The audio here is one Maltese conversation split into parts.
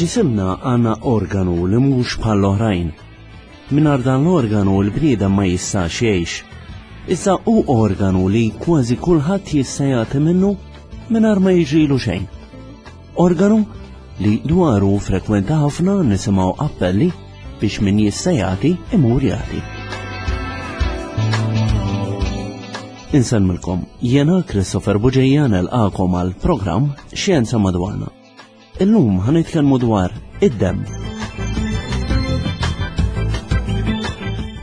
F'ġisimna għandna organu li mhux bħall-oħrajn. Mingħajr dan l-organu l-bniedem ma jistax jgħix. Iżda hu organu li kważi kulħadd jista' jagħti minnu mingħajr ma jiġrilu xejn. Organu li dwaru frekwenta ħafna nisimgħu appelli biex min jista' jagħti imur jagħti. Insellmilkom, jiena Christopher Buġeja nelqakom għal programm Xjenza Madwarna. Illum ħanitkellmu dwar id-demm.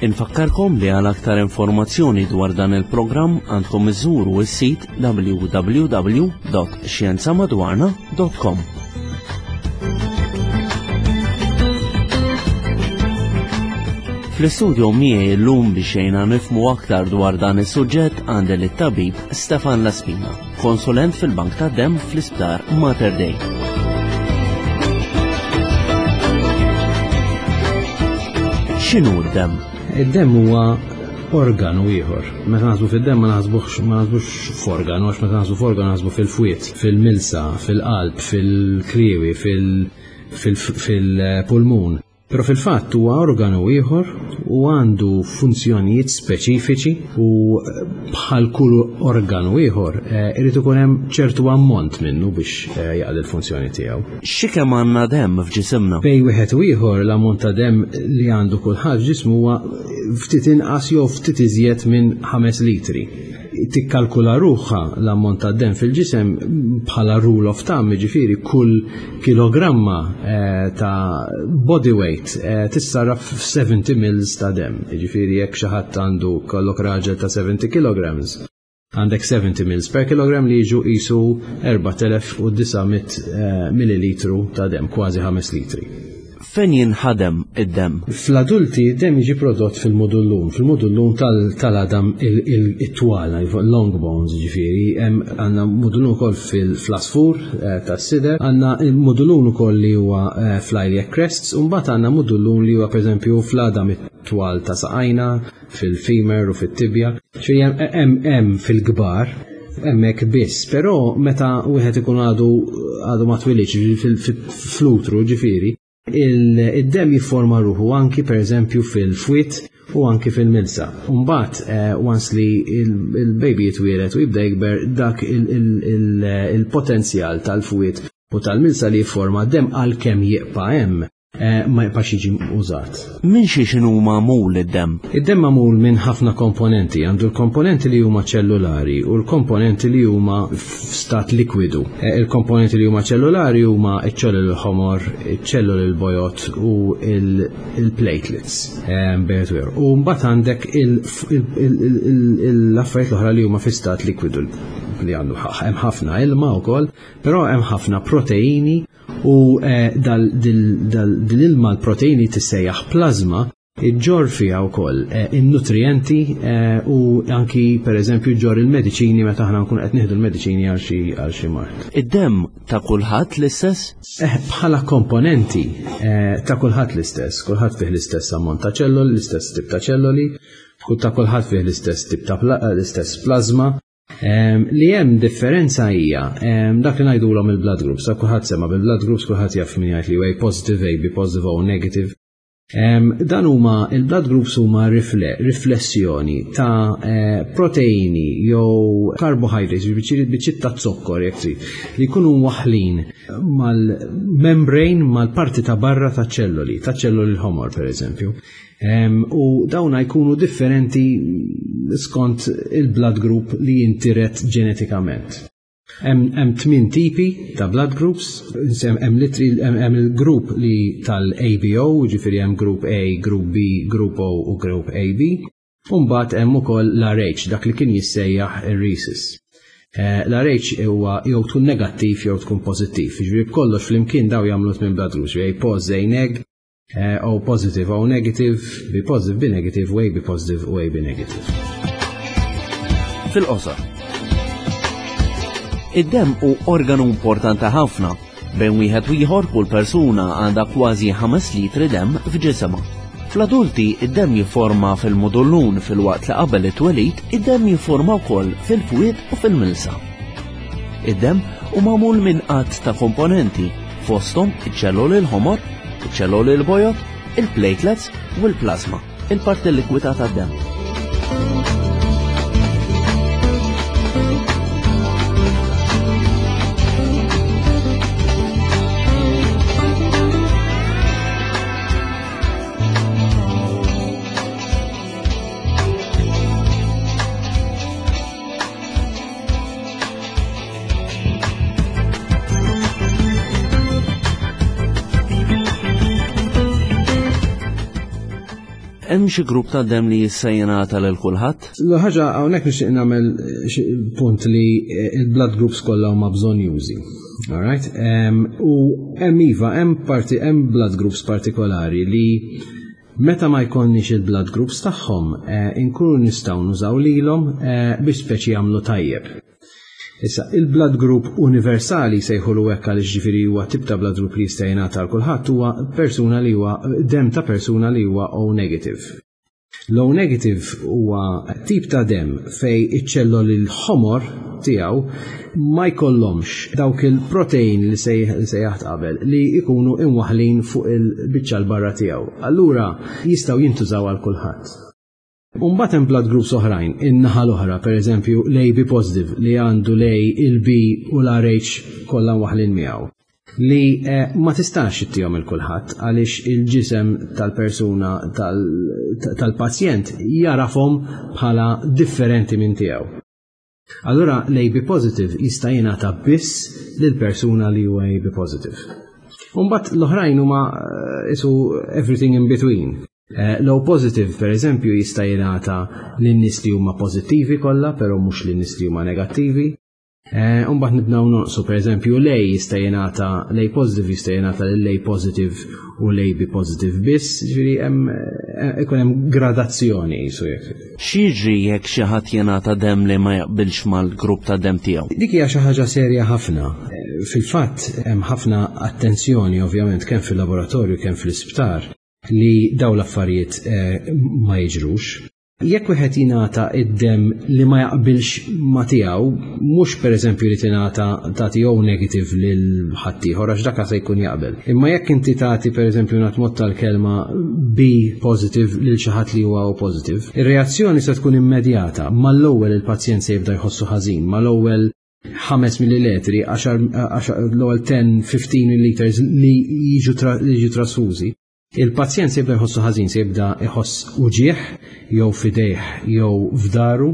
Infakkarkom li għal aktar informazzjoni dwar dan il-programm għandkom iżuru s-sit www.xjenzamadwarna.com. Fl-istudio miegħi llum biex jgħinna nifmu aktar dwar dan is-suġġett għandi lit-tabib Stefan Laspina. Konsulent fil-Bank tad-Demm fl-Isptar Mater Dei. X'inhu d-demm? Id-demm huwa organu ieħor. Meta naħsbu fid-demm ma naħsbux ma naħsbux f'organu għax meta naħsbu f'organu naħsbu fil-fwied, fil-milsa, fil-qalb, fil-kliewi, fil-pulmun. Però fil-fatt huwa organu ieħor u għandu funzjonijiet speċifiċi u eh, bħal kull organu ieħor eh, irid ikun hemm ċertu ammont minnu biex eh, jaqdi l-funzjoni tiegħu. Xi kemm għandna demm f'ġisimna? Bej wieħed u ieħor l-ammont ta' demm li għandu kulħadd f'ġismu huwa ftit inqas jew ftit iżjed minn 5 litri tikkalkula ruħha l-ammont ta' demm fil-ġisem bħala rule of thumb, jiġifieri kull kilogramma eh, ta' body weight eh, tissarraf f'70 mils ta' demm. Jiġifieri jekk xi ħadd għandu kollok raġel ta' 70 kilograms, għandek 70 mils per kilogram li jiġu qisu 4900 eh, millilitru ta' demm, kważi 5 litri. Fejn jinħadem id-demm? Fl-adulti id-demm jiġi prodott fil-mudullun, fil-mudullun tal-għadam it-twal, long bones ġifieri, għandna mudullun ukoll fl-asfur eh, tas-sider, għandna mudullun ukoll li huwa eh, fl-iliac crests, u mbagħad għandna mudullun li huwa pereżempju fl-għadam it-twal ta' saqajna, fil-femur u fit-tibja. Ġifieri hemm hemm fil-kbar hemmhekk biss, però meta wieħed ikun għadu għadu ma twilidx fl-utru ġifieri, id-demm jifforma ruħu anki pereżempju fil-fwied u anki fil-milsa. Mbagħad eh, once li il-baby jitwielet u jibda jikber dak il-potenzjal tal-fwied u tal-milsa li jifforma demm għalkemm jibqa' hemm Eh, ma jibqax jiġi użat. Minn xiex inhu magħmul id-demm? Id-demm magħmul minn ħafna komponenti, għandu l-komponenti li huma ċellulari u l-komponenti li huma f'stat likwidu. Eh, il-komponenti li huma ċellulari huma ċ-ċelluli l-ħomor, iċ-ċelluli l-bojot u il-platelets. Eh, u mbagħad għandek l-affarijiet l-oħra li huma fi stat likwidu li għandu hemm ħafna ilma wkoll, però hemm ħafna proteini U eh, dil-ilma l-proteini tissejjaħ plazma iġġor fiha wkoll eh, in-nutrijenti eh, u anki pereżempju ġġor il-mediċini meta aħna nkun qed nieħdu l-mediċini għal xi għal xi mard. Id-demm ta' kulħadd l-istess? Bħala komponenti ta' kulħadd l-istess, kulħadd fih l-istess ammont ta' ċelloli, l-istess tip ta' ċelloli, ta' kulħadd fih l-istess tip ta' l-istess plazma. Li hemm differenza hija dak li ngħidulhom il-blood groups, ta' kulħadd sema bil-blood groups kulħadd jaf min jgħid li A positive, AB positive, O negative. Dan huma il-blood groups huma riflessjoni ta' eh, proteini jew carbohydrates, biċċiet ta' zokkor jekk trid, li jkunu waħlin mal-membrane mal-parti ta' barra ta' ċelloli, ta' ċelloli l-ħomor pereżempju. U dawna jkunu differenti skont il-blood group li jintiret ġenetikament. Hemm tmien tipi ta' blood groups, hemm hemm il-grupp li tal-ABO, ġifieri hemm grupp A, grupp B, grupp O u grupp AB. U mbagħad hemm ukoll l-RH, dak li kien jissejjaħ ir-rhesus. Eh, L-RH huwa jew tkun negattiv jew tkun pożittiv. Ġifieri b'kollox flimkien daw jagħmlu tmien blood groups, A pos, A neg, Eh, O positive, O negative, B positive, B negative, u AB positive, u AB negative. Fil-qosor. Id-demm hu organu importanti ħafna. Bejn wieħed u ieħor kull persuna għandha kważi 5 litri demm f'ġisimha. Fl-adulti id-demm jifforma fil-mudullun filwaqt li qabel it-twelid id-demm jifforma wkoll fil-fwied u fil-milsa. Id-demm hu magħmul minn għadd ta' komponenti. Fosthom iċ-ċelloli l-ħomor, iċ-ċelloli l-bojod, il-platelets u l-plasma, il-parti likwida tad-demm. Hemm xi grupp ta' dem li jista' jingħata lil kulħadd? L-ħaġa hawnhekk nixtieq nagħmel punt li il-blood groups kollha huma bżonn jużi. All right? U hemm iva, hemm parti hemm blood groups partikolari li meta ma jkollniex il-blood groups tagħhom inkunu nistgħu nużaw lilhom biex speċi jagħmlu tajjeb. Issa, il-blood group universali sejħulu hekk għaliex ġifieri huwa tip ta' blood group li jista' jingħata għal kulħadd huwa persuna li huwa dem ta' persuna li huwa O negative. L-O negative huwa tip ta' dem fej iċ-ċelloli l-ħomor tiegħu ma jkollhomx dawk il-protein li sejjaħt qabel li jkunu imwaħlin fuq il-biċċa l-barra tiegħu. Allura jistgħu jintużaw għal kulħadd. Umbagħad hemm blood groups oħrajn, in-naħa l-oħra, pereżempju l-AB positive li għandu l-A, il-B u l-RH kollha waħlin miegħu. Li ma tistax ittihom il kulħadd għaliex il-ġisem tal-persuna tal-pazjent jarafhom bħala differenti minn tiegħu. Allura l-AB positive jista' jingħata biss lil persuna li huwa AB positive. Umbagħad l-oħrajn huma isu everything in between. Low positive, per eżempju, jista' jingħata lin-nies li huma pożittivi kollha, però mhux lin-nies li huma negattivi. Umbagħad nibdew nonqsu, per eżempju, l-A jista' jingħata, l-A positive jista' jingħata lil A positive u l-A B positive biss, ġifieri hemm ikun hemm gradazzjoni jisu jekk. X'jiġri jekk xi ħadd jingħata demm li ma jaqbilx mal-grupp ta' demm tiegħu? Dik hija xi ħaġa serja ħafna. Fil-fatt hemm ħafna attenzjoni ovvjament kemm fil-laboratorju kemm fl-isptar li daw l-affarijiet ma jiġrux. Jekk wieħed jingħata id-demm li ma jaqbilx ma tiegħu, mhux pereżempju li tingħata tagħti O negative lil ħaddieħor għax dak se jkun jaqbel. Imma jekk inti tagħti pereżempju nagħti mod tal-kelma B positive lil xi ħadd li huwa O positive, ir-reazzjoni se tkun immedjata. Mal-ewwel il-pazjent se jibda jħossu ħażin, mal-ewwel 5 millilitri, l-ewwel 10-15 milliliters li jiġu trasfużi. Il-pazjent se jibda jħossu ħażin, se jibda jħoss uġieħ, jew f'idejh, jew f'daru,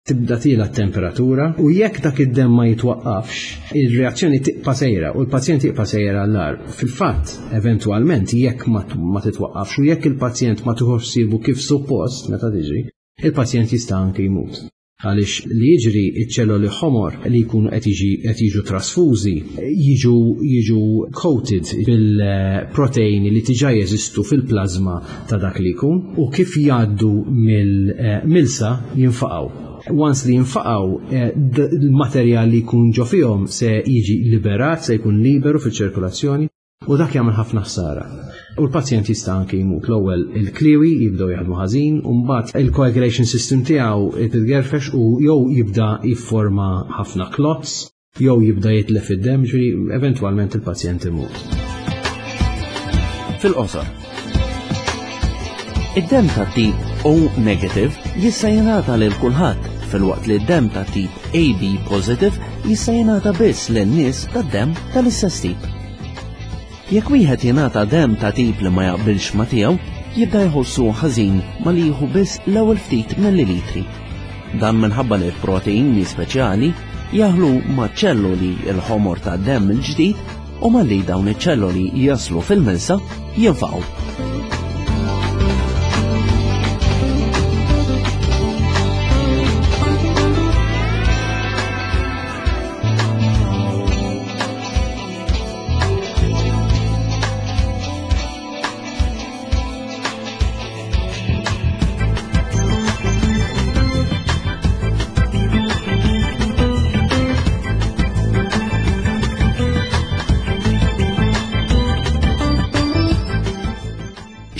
tibda tila t-temperatura, u jekk dak id-demm ma jitwaqqafx, ir-reazzjoni tibqa' sejra u l-pazjent jibqa' sejra għall-agħar. Fil-fatt, eventwalment, jekk ma titwaqqafx u jekk il-pazjent ma tieħux ħsiebu kif suppost meta tiġri, il-pazjent jista' anke jmut. Għaliex li jiġri iċ-ċelloli ħomor li jkunu qed jiġu trasfużi jiġu coated bil-proteini li diġà jeżistu fil-plasma ta' dak li jkun u kif jgħaddu mill-milsa jinfaqgħu. Once li jinfaqgħu, il-materjal li jkun ġo fihom se jiġi liberat, se jkun liberu fiċ-ċirkolazzjoni u dak jagħmel ħafna ħsara. U l-pazjent jista' anke jmut. L-ewwel il-kliwi jibdew jaħdmu ħażin u mbagħad il-coagulation system tiegħu titgerfex u jew jibda jifforma ħafna clots jew jibda jitlef id-demm, ġifieri eventwalment il-pazjent imut. Fil-qosor, id-demm ta' tip O negative jista' jingħata lil kulħadd, filwaqt li d-demm ta' tip AB positive jista' jingħata biss lin nies tad-demm tal-istess tip. Jekk wieħed jingħata demm ta' tip li ma jaqbilx ma' tiegħu, jibda jħossu ħażin ma li jieħu biss l-ewwel ftit millilitri. Dan minħabba li l-proteini speċjali jaħlu ma' ċelloli l-ħomor ta' demm il-ġdid u malli dawn iċ-ċelloli jaslu fil-milsa jinfaqgħu.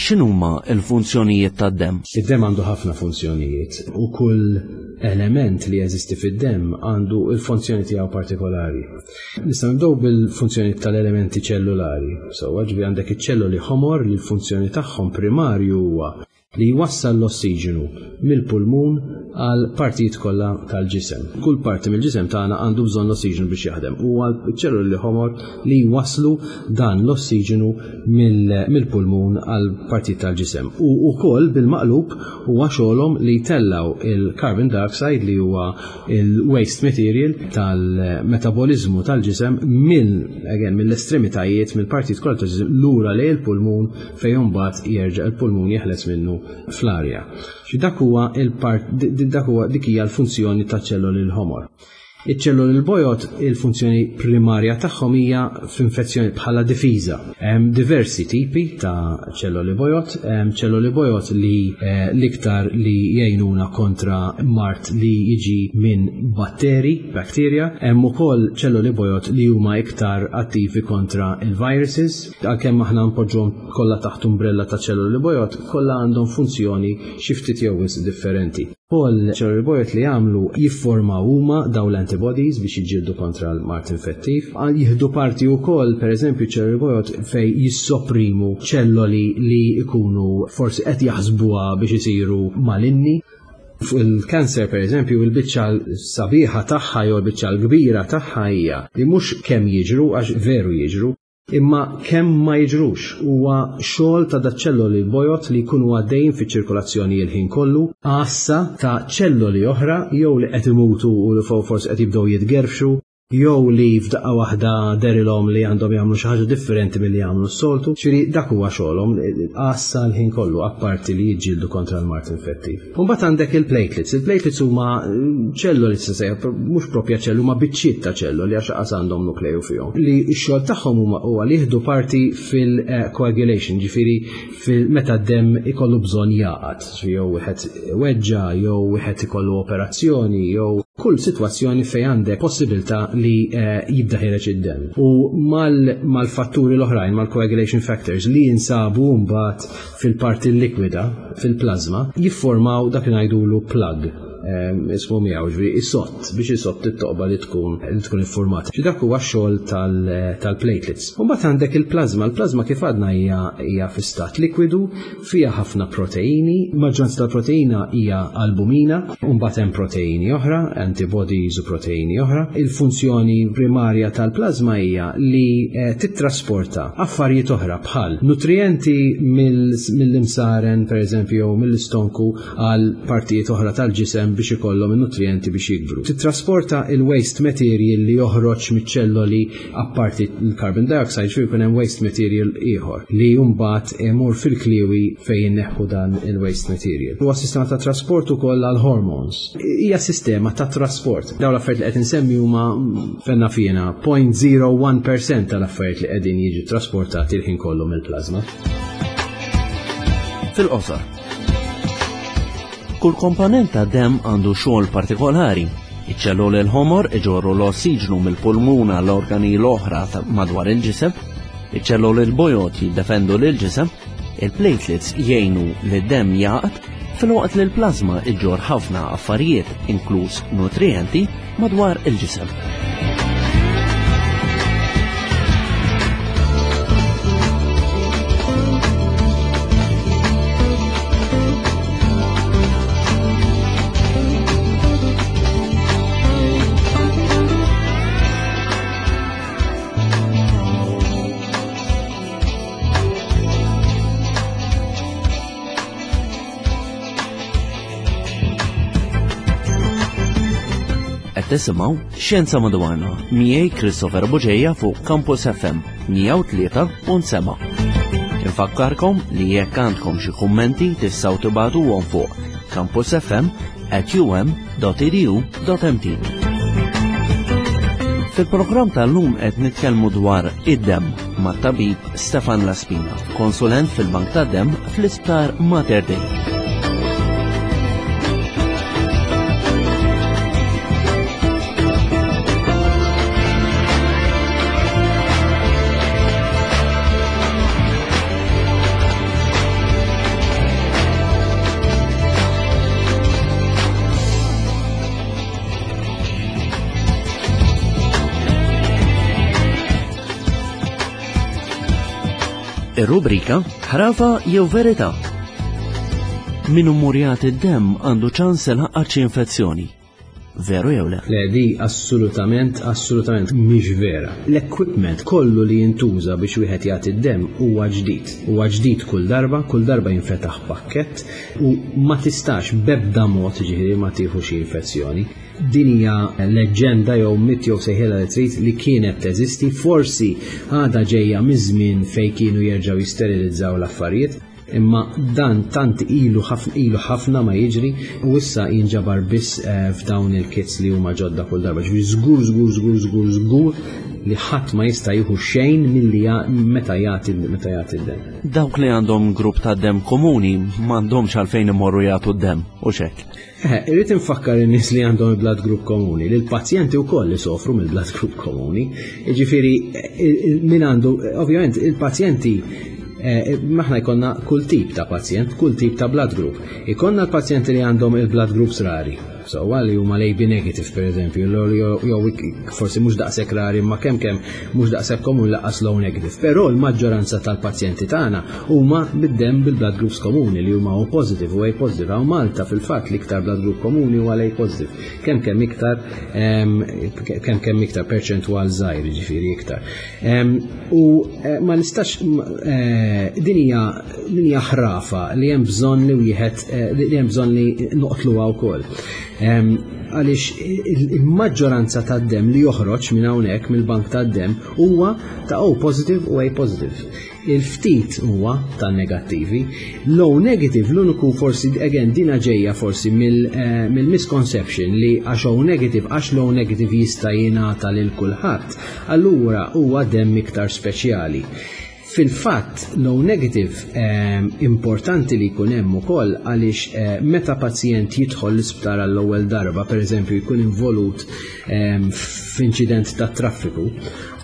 X'inhuma l-funzjonijiet tad-demm? Id-demm għandu ħafna funzjonijiet u kull element li jeżisti fid-demm għandu l-funzjoni tiegħu partikolari. Nistgħu nibdew bil-funzjoni tal-elementi ċellulari. Sewwa, ġifieri għandek iċ-ċelloli ħomor li l-funzjoni tagħhom primarju huwa li jwassal l-ossiġenu mill-pulmun għal partijiet kollha tal-ġisem. Kull parti mill-ġisem tagħna għandu bżonn l-ossiġenu biex jaħdem. Huwa ċ-ċelluli ħomor li jwasslu dan l-ossiġenu mill-pulmun għal partijiet tal-ġisem. U wkoll bil-maqlub huwa xogħolhom li jtellgħu il-carbon dioxide li huwa il-waste material tal-metaboliżmu tal-ġisem mill again mill-estremitajiet mill-partijiet kollha tal-ġisem lura lejn il-pulmun fejn imbagħad jerġa' il-pulmun jeħles minnu fl-arja. Xi dak huwa il-part dak huwa dik hija l-funzjoni taċ-ċelloli l-ħomor. Iċ-ċelloli l-bojod il-funzjoni primarja tagħhom hija f'infezzjoni bħala difiża. Hemm diversi tipi ta' ċelloli bojod, hemm ċelloli bojod li eh, l-iktar li jgħinuna kontra mard li jiġi minn batteri, bacteria, hemm ukoll ċelloli bojod li huma iktar attivi kontra il-viruses, għalkemm aħna npoġġuhom kollha taħt umbrella ta' ċelloli bojod, kollha għandhom funzjoni xi ftit jew wisq differenti. Ukoll ċelloli bojod li jagħmlu jifformaw huma dawn l-antibodies biex jiġġieldu kontra l-mard infettiv. Jieħdu parti wkoll pereżempju ċelloli bojod fejn jissoprimu ċelloli li jkunu forsi qed jaħsbuha biex isiru malinni. Fuq il-kanser pereżempju il-biċċa sabiħa tagħha jew il-biċċa l-kbira tagħha hija li mhux kemm jiġru għax veru jiġru, Imma kemm ma jiġrux, huwa xogħol ta' daċ-ċelloli l-bojod li jkunu għaddejjin fiċ-ċirkolazzjoni il-ħin kollu, għassa ta' ċelloli oħra jew li qed imutu u li forsi qed jibdew jitgerfxu, jew li f'daqqa waħda dehrilhom li għandhom jagħmlu xi ħaġa differenti milli jagħmlu s-soltu. Ġifieri dak huwa xogħolhom, għassa l-ħin kollu apparti li jiġġieldu kontra l-mard infettiv. U mbagħad għandek il-platelets. Il-platelets huma ċelloli se mhux propja ċelluli, huma biċċiet ta' ċelloli għax qas għandhom nukleju fihom. Li x-xogħol tagħhom huma huwa li jieħdu parti fil-coagulation, ġifieri meta d-demm ikollu bżonn jaqgħad, jew wieħed weġġa, jew wieħed ikollu operazzjoni, jew kull sitwazzjoni fejn għandek possibilità li eh, jibda ħireġ id-demm. U mal-fatturi l-oħrajn, mal-coagulation factors li jinsabu mbagħad fil-parti likwida, fil-plazma, jifformaw dak li ngħidulu plug ismu miegħu ġifieri isott biex isott it-toqba li tkun li tkun iffurmata. Xi dak huwa x-xogħol tal-platelets. U mbagħad għandek il-plazma, il-plazma kif għadna hija hija fi stat likwidu, fiha ħafna proteini, maġġoranza tal-proteina hija albumina, u mbagħad hemm proteini oħra, antibodies u proteini oħra. Il-funzjoni primarja tal-plazma hija li eh, tittrasporta affarijiet oħra bħal nutrijenti mill-imsaren pereżempju jew mill-istonku għal partijiet oħra tal-ġisem biex ikollhom in-nutrijenti biex jikbru. Tittrasporta il-waste material li joħroġ miċ-ċelloli apparti l-carbon dioxide xi jkun hemm waste material ieħor li mbagħad imur fil-kliewi fejn inneħħu dan il-waste material. Huwa sistema ta' trasport ukoll għal hormones. Hija sistema ta' trasport. Dawn l-affarijiet li qed insemmi huma fenna fina 0.01% tal-affarijiet li qegħdin jiġu trasportati l-ħin kollu mill-plasma. Fil-qosor. Kull komponent ta' demm għandu xogħol partikolari. Iċ-ċelloli l-ħomor iġorru l-ossiġnu mill-pulmun għall-organi l-oħra madwar il-ġisem, iċ-ċelloli l-bojod jiddefendu lill-ġisem, il-platelets jgħinu li d-demm jaqt, filwaqt li l-plasma iġġor ħafna affarijiet, inkluż nutrijenti, madwar il-ġisem. Qed tisimgħu Xjenza Madwarna miegħi Christopher Buġeja fuq Campus FM 103.7. Infakkarkom li jekk għandkom xi kummenti tistgħu tibagħtuhom fuq campusfm@um.edu.mt. Fil-programm tal-lum qed nitkellmu dwar id-demm mat-tabib Stefan Laspina, konsulent fil-Bank tad-Demm fl-Isptar Mater Dei. Ir-rubrika Ħrafa jew Verità. Min hu murjat id-demm għandu ċans ilaqqat xi infezzjoni. Veru jew le? Le, di assolutament, assolutament mhix vera. L-equipment kollu li jintuża biex wieħed jagħti d-demm huwa ġdid. Huwa ġdid kull darba, kull darba jinfetaħ pakkett u ma tistax b'ebda mod ġifieri ma tieħu xi infezzjoni. Din hija leġġenda jew mit jew sejħilha li trid li kienet teżisti, forsi għadha ġejja miż-żmien fejn kienu jerġgħu jisterilizzaw l-affarijiet, imma dan tant ilu ħafna ilu ħafna ma jiġri u issa jinġabar biss eh, f'dawn il-kits li huma ġodda kull darba. Ġifieri żgur żgur żgur żgur żgur li ħadd ma jista' jieħu xejn milli meta jagħti meta jagħti d-demm. Dawk li għandhom grupp ta' demm komuni m'għandhomx għalfejn imorru jagħtu d-demm u xek. Eh, irrid infakkar in-nies li għandhom il-blood group komuni, li l-pazjenti wkoll li sofru mill-blood group komuni. Jiġifieri eh, min għandu, ovvjament il-pazjenti eh, maħna jkollna kull tip ta' pazjent, kull tip ta' blood group. Ikonna l-pazjenti li għandhom il-blood groups rari, So, li huma l-AB negative per eżempju, jew forsi mhux daqshekk rari ma kemm kemm mhux daqshekk komuni laqas low negative. Però l-maġġoranza tal-pazjenti tagħna huma bid-demm bil-blood groups komuni li huma O positive u A positive. Hawn Malta fil-fatt l-iktar blood group komuni huwa l-A positive. Kemm kemm iktar kemm kemm iktar perċentwal żgħir jiġifieri iktar. U eh, ma nistax eh, din hija din hija ħrafa li hemm bżonn li wieħed eh, li hemm bżonn li noqtluha wkoll. Għaliex il-maġġoranza tad-demm li joħroġ minn hawnhekk mill-bank tad-demm huwa ta' O positive u A positive. Il-ftit huwa tan-negattivi. L-O negative l-uniku forsi again dina ġejja forsi eh, mill-misconception li għax O negative għax l-O negative jista' jingħata lil kulħadd, allura huwa demm iktar speċjali. Fil-fatt, l-O negative eh, importanti li jkun hemm ukoll għaliex eh, meta pazjent jidħol l-isptar għall-ewwel darba, pereżempju jkun involut f'inċident ta' traffiku,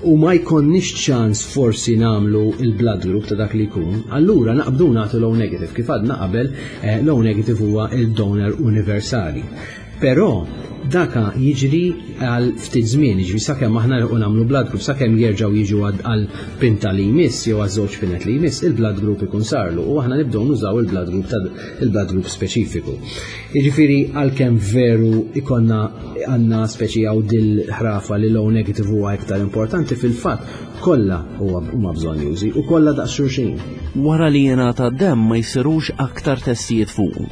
u ma jkollniex ċans forsi nagħmlu il-blood group ta' dak li jkun, allura naqbdu nagħtu low negative. Kif għadna qabel, eh, low negative huwa il-donor universali. Però daka jiġri għal ftit żmien, jiġri sakemm aħna nilħqu nagħmlu blood group, sakemm jerġgħu jiġu għal pinta li jmiss jew għal żewġ pinet li jmiss, il-blood group ikun sarlu u aħna nibdew nużaw il-blood group ta' il-blood group speċifiku. Jiġifieri għalkemm veru ikonna għandna speċi għaw dil-ħrafa li low negative huwa iktar importanti fil-fatt kollha huma bżonjużi u kollha daqs xulxin. Wara li jingħata demm ma jsirux aktar testijiet fuqu.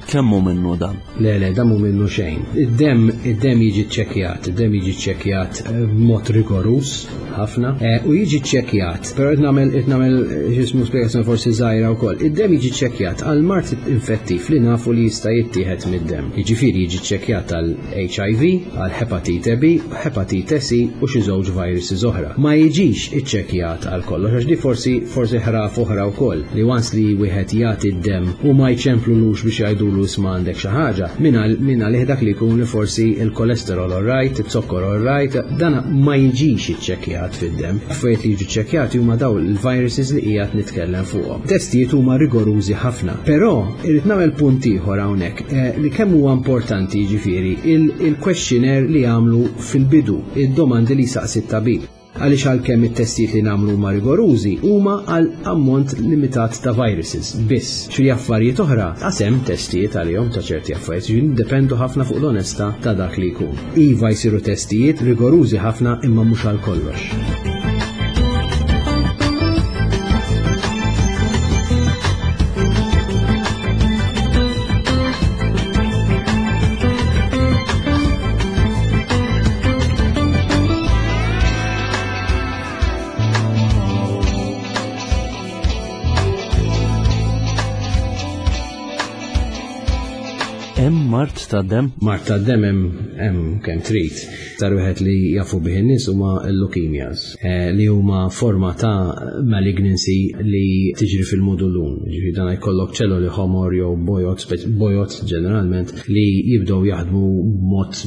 Kemm hu minnu dan? Le, le, dan mhu minnu xejn. Id-demm id-demm jiġi ċċekkjat, id-demm jiġi ċċekkjat eh, b'mod rigoruż ħafna eh, u jiġi ċċekkjat, però qed nagħmel qed nagħmel eh, x'ismu spjegazzjoni forsi żgħira wkoll. Id-demm jiġi ċċekkjat għal mard infettiv li nafu li jista' jittieħed mid-demm. Jiġifieri jiġi ċċekkjat għal HIV, għal hepatite B, hepatite C u xi żewġ viruses oħra. Ma jiġix iċċekkjat għal kollox għax di forsi forsi ħraf oħra wkoll li once li wieħed jagħti d-demm u ma jċemplulux biex jgħidulu isma' għandek xi ħaġa, minn għalih dak li jkun li forsi il-kolesterol all right, iz-zokkor all right, dan ma jiġix iċċekkjat fid-demm. Affarijiet li jiġu ċċekkjati huma dawn il-viruses li qiegħed nitkellem fuqhom. Testijiet huma rigorużi ħafna. Però irrid nagħmel punt ieħor hawnhekk eh, li kemm huwa importanti jiġifieri il-questionnaire li jagħmlu fil-bidu, id-domandi li jsaqsi t-tabib. Għaliex għalkemm it-testijiet li nagħmlu huma rigorużi huma għal ammont limitat ta' viruses biss. Xi affarijiet oħra għasem testijiet għalihom ta' ċerti affarijiet, jiġifieri niddependu ħafna fuq l-onestà ta' dak li jkun. Iva jsiru testijiet rigorużi ħafna imma mhux għal kollox. Hemm mart ta' dem? Mart ta' dem hemm kemm trid. Tar wieħed li jafu bih in-nies huma l-leukemias, eh, li huma forma ta' malignancy li tiġri fil-mudulun. Ġifieri dan jkollok ċelloli ħomor jew bojot, bojot ġeneralment, li jibdew jaħdmu b'mod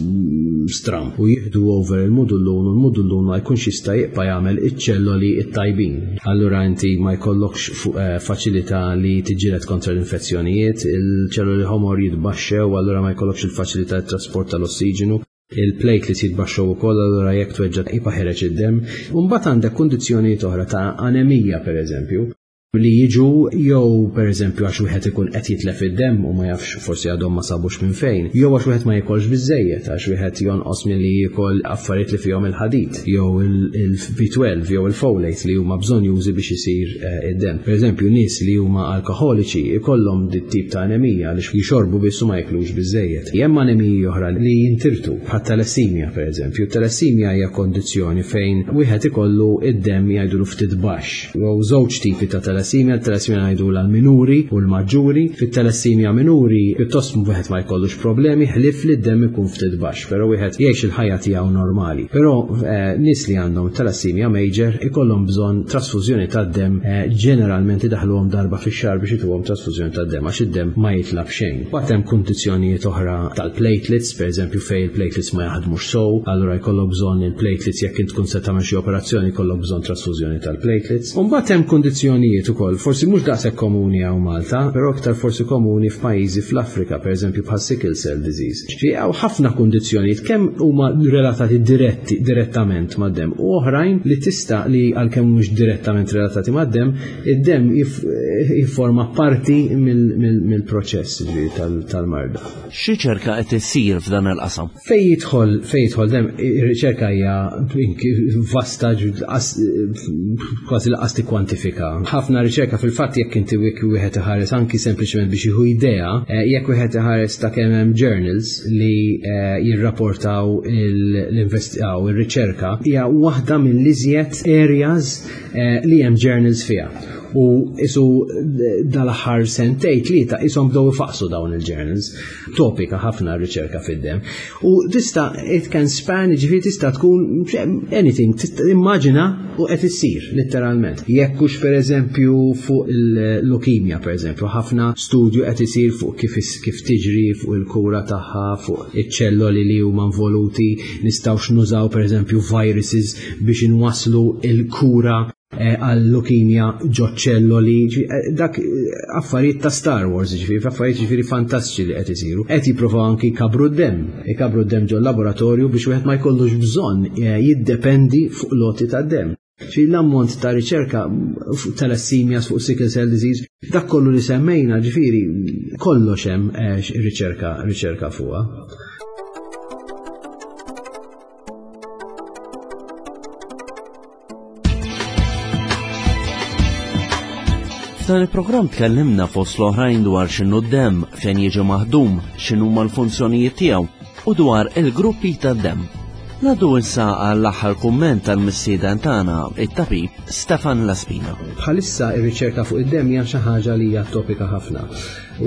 stramb u jieħdu over il-mudullun u l-mudullun ma jkunx jista' jibqa' jagħmel iċ-ċelloli t-tajbin. Allura inti ma jkollokx eh, faċilità li tiġġieled kontra l-infezzjonijiet, il-ċelloli ħomor jitbaxxew, allura ma jkollokx il-faċilità tat-trasport tal-ossiġenu il-platelets jitbaxxew ukoll allura jekk tweġġa' jibqa' ħereġ id-demm. U mbagħad għandek kundizzjonijiet oħra ta' anemija pereżempju. Li jiġu jew pereżempju għax wieħed ikun qed jitlef id-demm u ma jafx forsi għadhom ma sabux minn fejn, jew għax wieħed ma jikolx biżżejjed, għax wieħed jonqos milli jiekol affarijiet li fihom il-ħadid, jew il-B12 jew il-folate li huma bżonnjużi biex isir eh, id-demm. Pereżempju, nies li huma alkoħoliċi ikollhom dit tip ta' anemija għaliex jixorbu biss u ma jiklux biżżejjed. Hemm anemiji oħra li jintirtu, bħat-talassemia pereżempju. Talassemia hija kondizzjoni fejn wieħed ikollu id-demm jgħidulu ftit baxx. Hawn żewġ tipi ta' talassemia, talassemia ngħidulha l-minuri u l-maġġuri. Fit-talassemia minuri pjuttost wieħed ma jkollux problemi ħlief li d-demm ikun ftit baxx, però wieħed jgħix il-ħajja tiegħu normali. Però eh, nies li għandhom talassemia major ikollhom bżonn trasfużjoni tad-demm eh, ġeneralment idaħluhom darba fix-xahar biex ituhom trasfużjoni tad-demm għax id-demm ma jitlab xejn. Mbagħad hemm kundizzjonijiet oħra tal-platelets, pereżempju fejn il-platelets ma jaħdmux sew, allura jkollok bżonn il-platelets jekk int tkun se tagħmel xi operazzjoni jkollok bżonn trasfużjoni tal-platelets. U mbagħad hemm kundizzjonijiet ukoll, forsi mhux daqshekk komuni hawn Malta, però iktar forsi komuni f'pajjiżi fl-Afrika, pereżempju bħal sickle cell disease. Ġifieri hawn ħafna kundizzjonijiet kemm huma relatati diretti direttament mad-demm u oħrajn li tista' li għalkemm mhux direttament relatati mad-demm, id-demm jifforma parti mill-proċess ġifieri tal-marda. X'riċerka qed issir f'dan il-qasam? Fejn jidħol fejn jidħol dem, ir-riċerka hija vasta kważi laqas tikkwantifika. Ħafna riċerka fil-fatt jekk inti wieħed iħares anki sempliċement biex jieħu idea, eh, jekk wieħed iħares ta' kemm hemm journals li eh, jirrapportaw l-investigaw ir-riċerka, hija waħda mill-iżjed areas eh, li hemm journals fiha. U isu dal-aħħar sentej tlieta isom bdew ifaqsu dawn il-journals. Topika ħafna r-riċerka fid-dem. U tista' it can span, ġifieri tista' tkun anything, immaġina u qed issir letteralment. Jekk hux pereżempju fuq il-leukemia pereżempju, ħafna studju qed isir fuq kif kif tiġri, fuq il-kura tagħha, fuq iċ-ċelloli li huma involuti, nistgħux nużaw pereżempju viruses biex inwasslu il-kura eh, għal-lukimja ġo ċelloli, eh, dak eh, affarijiet ta' Star Wars, ġifieri, affarijiet ġifieri fantastiċi li qed isiru. Qed jippruvaw anki jkabru d-demm, ikabru d-demm ġo laboratorju biex wieħed ma jkollux bżonn jiddependi fuq loti ta' demm. Ġifieri l-ammont ta' riċerka fuq talassemia, fuq sickle cell disease, dak kollu li semmejna, ġifieri kollox hemm riċerka riċerka fuqha. F'dan il-programm tkellimna fost l-oħrajn dwar x'inhu d-demm, fejn jiġi maħdum, x'inhuma l-funzjonijiet tiegħu u dwar il-gruppi tad-demm. Nadu issa għall-aħħar kumment tal-mistieden tagħna, it-tabib Stefan Laspina. Bħalissa ir-riċerka fuq id-demm hija xi ħaġa li hija topika ħafna.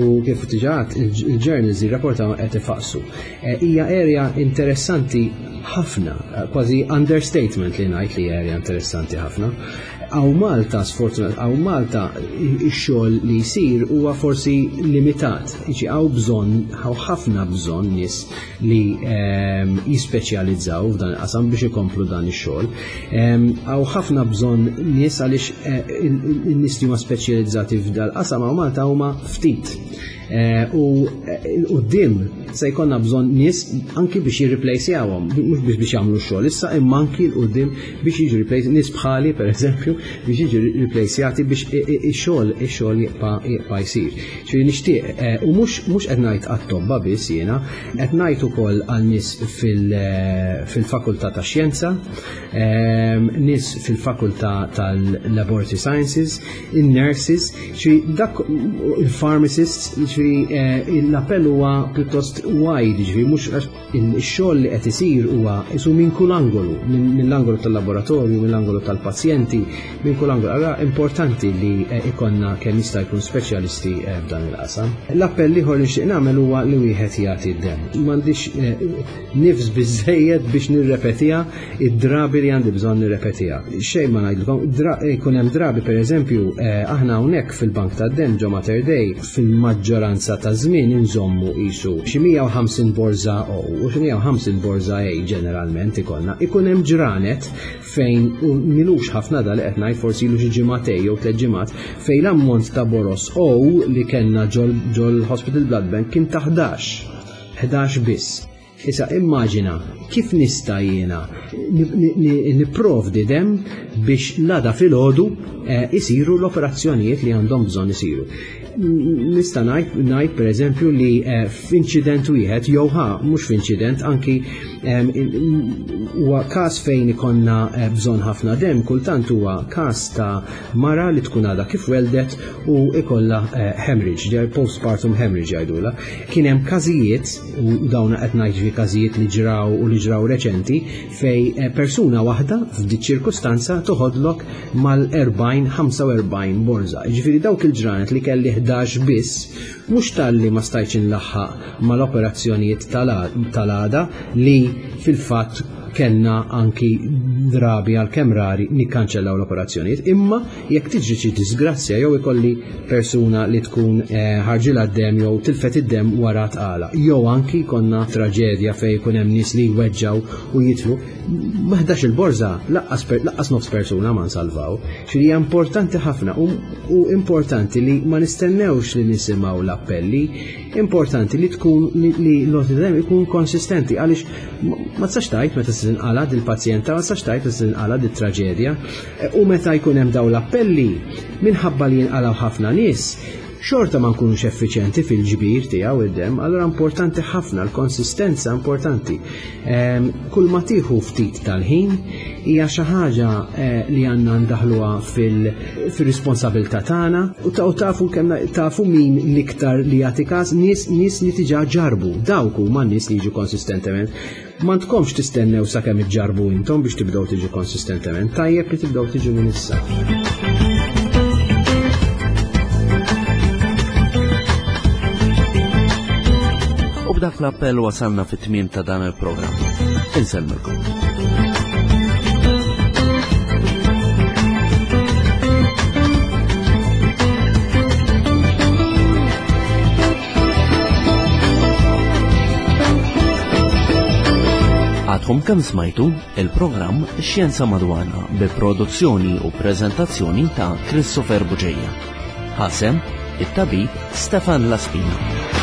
U kif diġà il-journals jirrapportaw qed ifaqsu. Eh, hija area interessanti ħafna, kważi understatement li ngħid li area interessanti ħafna. Għaw Malta, sfortunat, għaw Malta ix-xogħol li jsir huwa forsi limitat. Iġi għaw bżonn, għaw ħafna bżonn nies li ehm, jispeċjalizzaw f'dan il-qasam biex ikomplu dan ix-xogħol. Ehm, għaw ħafna bżonn nies għaliex eh, in-nies li huma speċjalizzati f'dal qasam għaw Malta huma ftit. Eh, u eh, l-qoddim se jkollna bżonn nies anki biex jirriplejsjawhom, mhux biex biex jagħmlu x-xogħol issa imma anki l-qudiem biex jiġu replace nies bħali pereżempju biex jiġu riplejsjati biex ix-xogħol ix-xogħol jibqa' jibqa' jsir. Ġifieri nixtieq eh, u mhux mhux qed ngħid għat-tobba biss jiena, qed ngħid ukoll għal nies fil-fakultà tax-xjenza, nies fil-fakultà tal-Laboratory Sciences, in-nurses, ġifieri dak il-pharmacists, ġifieri eh, l-appell huwa pjuttost wide, ġifieri mhux ix-xogħol li qed isir huwa isu minn kull angolu, mill-angolu tal-laboratorju, mill-angolu tal-pazjenti, minn kull angolu. Allora importanti li eh, ikonna kemm jista' jkun speċjalisti eh, f'dan il-qasam. L-appell ieħor li nixtieq nagħmel huwa li wieħed jagħti d-demm. M'għandix nifs biżejjed biex nirrepetiha id-drabi li għandi bżonn nirrepetiha. Xejn ma ngħidilkom, jkun hemm drabi pereżempju eh, aħna hawnhekk fil-Bank tad-Demm ġo Mater Dei fil-maġġoranza ta' żmien inżommu qisu xi 150 borża O u xi 150 borża A ġeneralment ikollna. Ikun hemm ġranet fejn u milux ħafna da li qed ngħid forsi ilu xi ġimagħtej jew tliet ġimgħat fejn l-ammont ta' boros O li kellna ġol Hospital Blood Bank kien ta' 11. 11 biss. Issa immaġina kif nista' jiena nipprovdi dem biex l-għada filgħodu eh, isiru l-operazzjonijiet li għandhom bżonn isiru. Nista' ngħid pereżempju li eh, f'inċident wieħed jew ħa mhux f'inċident anki huwa każ fejn ikonna eh, bżonn ħafna dem kultant huwa każ ta' mara li tkun għadha kif weldet u ikollha eh, hemorrhage, postpartum hemorrhage jgħidulha. Kien hemm każijiet u dawn qed ngħid fi każijiet li ġraw u li ġraw reċenti fej eh, persuna waħda f'dik ċirkustanza toħodlok mal-40-45 borza. Ġifieri dawk il-ġranet li kelli 11 biss mhux talli ma stajtx inlaħħaq mal-operazzjonijiet tal-għada li fil-fatt kellna anki drabi għal kemm rari nikkanċellaw l-operazzjonijiet, imma jekk tiġri xi disgrazzja jew ikolli persuna li tkun eh, ħarġilha d-dem jew tilfet id-dem wara tqala, jew anki konna traġedja fejn ikun hemm nies li jweġġaw u jitlu, maħdax il-borża laqqas nofs persuna ma nsalvaw. Xi hija importanti ħafna u importanti li ma nistennewx li nisimgħu l-appelli, importanti li tkun li l-għoti ikun konsistenti għaliex ma tistax tgħid meta se tinqala' dil-pazjenta, ma tistax tgħid meta se tinqala' dit-traġedja. E, u meta jkun hemm dawn l-appelli, minħabba li jinqalgħu ħafna nies, xorta ma nkunux effiċjenti fil-ġbir tiegħu id-dem, allura importanti ħafna l-konsistenza importanti. Ehm, kull ma tieħu ftit tal-ħin hija xi ħaġa eh, li għandna ndaħluha fil-responsabilità tagħna u tafu kemm tafu min l-iktar li jagħti każ nies nies li diġà ġarbu dawk huma nies li jiġu konsistentement. Ma tkomx tistennew sakemm iġġarbu intom biex tibdew tiġu konsistentement, tajjeb li tibdew tiġu minn issa. U b'dak l-appell wasalna fit-tmiem ta' dan il-programm. Insellmilkom. Għadkom kemm smajtu il-programm Xjenza Madwana bi produzzjoni u preżentazzjoni ta' Christopher Buġeja. Ħasem it-tabib Stefan Laspina.